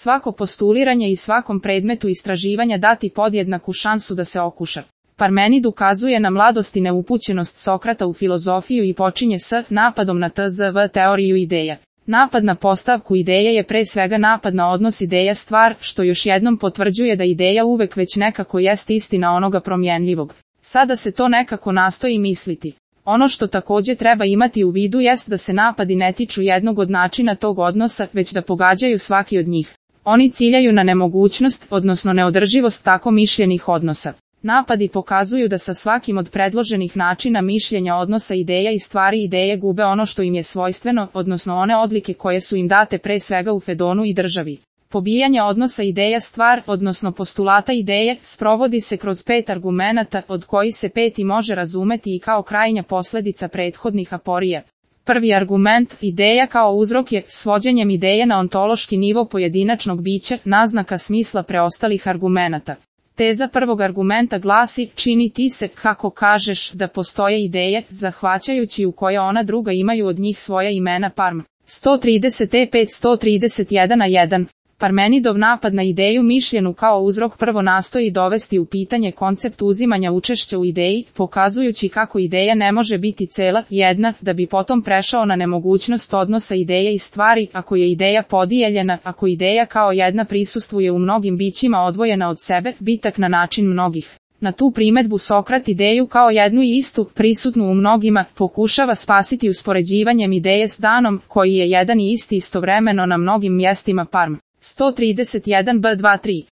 svako postuliranje i svakom predmetu istraživanja dati podjednaku šansu da se okuša. Parmenid ukazuje na mladost i neupućenost Sokrata u filozofiju i počinje s napadom na tzv. Teoriju ideja. Napad na postavku ideje je pre svega napad na odnos ideja-stvar, što još jednom potvrđuje da ideja uvek već nekako jest istina onoga promjenljivog. Sada se to nekako nastoji misliti. Ono što takođe treba imati u vidu jest da se napadi ne tiču jednog od načina tog odnosa, već da pogađaju svaki od njih. Oni ciljaju na nemogućnost, odnosno neodrživost tako mišljenih odnosa. Napadi pokazuju da sa svakim od predloženih načina mišljenja odnosa ideja i stvari ideje gube ono što im je svojstveno, odnosno one odlike koje su im date pre svega u Fedonu i državi. Pobijanje odnosa ideja-stvar, odnosno postulata ideje, sprovodi se kroz 5 argumenata, od kojih se 5. može razumeti i kao krajnja posledica prethodnih aporija. Prvi argument, ideja kao uzrok je, svođenjem ideje na ontološki nivo pojedinačnog bića, naznaka smisla preostalih argumenata. Teza prvog argumenta glasi, čini ti se, kako kažeš, da postoje ideje, zahvaćajući u koje ona druga imaju od njih svoja imena Parm. 130e5-131a1. Parmenidov napad na ideju mišljenu kao uzrok prvo nastoji dovesti u pitanje koncept uzimanja učešća u ideji, pokazujući kako ideja ne može biti cela, jedna, da bi potom prešao na nemogućnost odnosa ideje i stvari, ako je ideja podijeljena, ako ideja kao jedna prisustvuje u mnogim bićima odvojena od sebe, bitak na način mnogih. Na tu primedbu Sokrat ideju kao jednu i istu, prisutnu u mnogima, pokušava spasiti uspoređivanjem ideje s danom, koji je jedan i isti istovremeno na mnogim mjestima Parm. 131b23